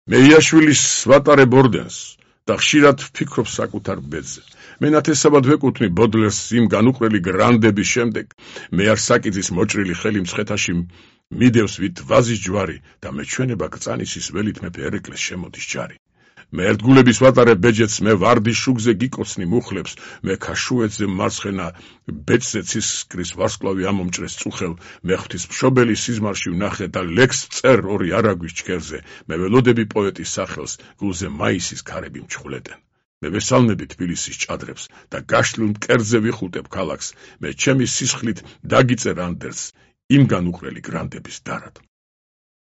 მე იაშვილის ვატარე ბორდენს და ხშირად ვფიქრობ საკუთარ ბედზე. მე ნათესავად ვეკუთვნი ბოდლერს იმ განუყრელი გრანდების შემდეგ. მე არ საკიძის მოჭრილი ხელი მცხეთაში მიდევს ვით ვაზის ჯვარი და მეჩვენება გწანისის ველით მეფე ერეკლეს შემოდის ჯარი. მე ერთგულების ვატარე ბეჯეთს მე ვარდის შუგზე გიკოცნი მუხლებს, მე ქაშუეთზე მარცხენა ბეწზე ცისკრის ვარსკვლავი ამომჭრეს წუხელ, მე ღვთის მშობელი სიზმარში ვნახე და ლექს წერ ორი არაგვის ჩქერზე, მე ველოდები პოეტის სახელს, გულზე მაისის ქარები მჩხვლეტენ. მე ვესალმები თბილისის ჭადრებს და გაშლილ მკერდზე ვიხუტებ ქალაქს, მე ჩემი სისხლით დაგიწერ ანდერს იმ განუყრელი გრანდების დარად.